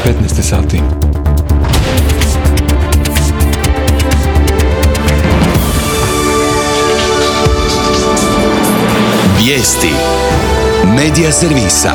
15 sati. Vijesti Medija servisa.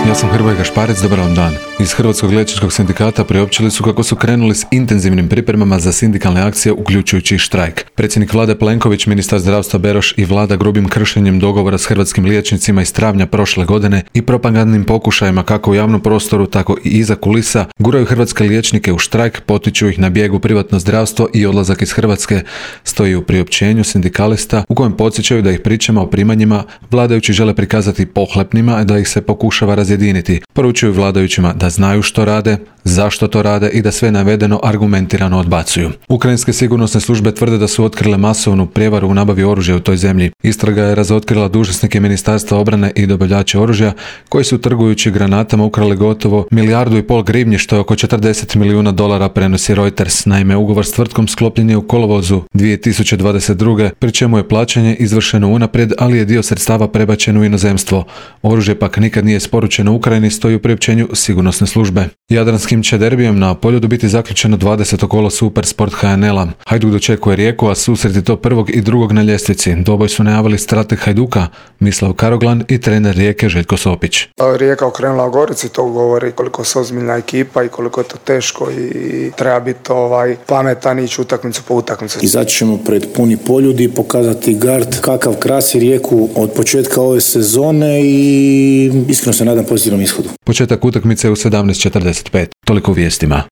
Ja sam Hrvoje Gašparec, dobar vam dan. Iz Hrvatskog liječničkog sindikata priopćili su kako su krenuli s intenzivnim pripremama za sindikalne akcije, uključujući i štrajk. Predsjednik vlade Plenković, ministar zdravstva Beroš i vlada grubim kršenjem dogovora s hrvatskim liječnicima iz travnja prošle godine i propagandnim pokušajima kako u javnom prostoru, tako i iza kulisa, guraju hrvatske liječnike u štrajk, potiču ih na bijeg u privatno zdravstvo i odlazak iz Hrvatske, stoji u priopćenju sindikalista u kojem podsjećaju da ih pričama o primanjima vladajući žele prikazati pohlepnima, a da ih se pokušava razjediniti. Poručuju vladajućima da znaju što rade, zašto to rade i da sve navedeno argumentirano odbacuju. Ukrajinske sigurnosne službe tvrde da su otkrile masovnu prijevaru u nabavi oružja u toj zemlji. Istraga je razotkrila dužnosnike Ministarstva obrane i dobavljače oružja koji su trgujući granatama ukrali gotovo 1,5 milijardu grivnji, što je oko $40 milijuna, prenosi Reuters. Naime, ugovor s tvrtkom sklopljen je u kolovozu 2022. pri čemu je plaćanje izvršeno unaprijed, ali je dio sredstava prebačen u inozemstvo. Oružje pak nikad nije isporučeno Ukrajini, stoji u priopćenju sigurnosne službe. Jadranskim će derbijem na Poljudu biti zaključeno 20. kolo Supersport HNL-a. Hajduk dočekuje Rijeku, a susreti to prvog i drugog na ljestvici. Dvoboj su najavili strateg Hajduka Mislav Karoglan i trener Rijeke Željko Sopić. Rijeka okrenula u Gorici, to govori koliko su ozbiljna ekipa i koliko je to teško i treba biti pametan i ići utakmicu po utakmicu. Izaći ćemo pred puni Poljudi, pokazati gard kakav krasi Rijeku od početka ove sezone i iskreno se nadam pozitivnom ishodu. Početak utakmice u 17:45. Toliko u vijestima.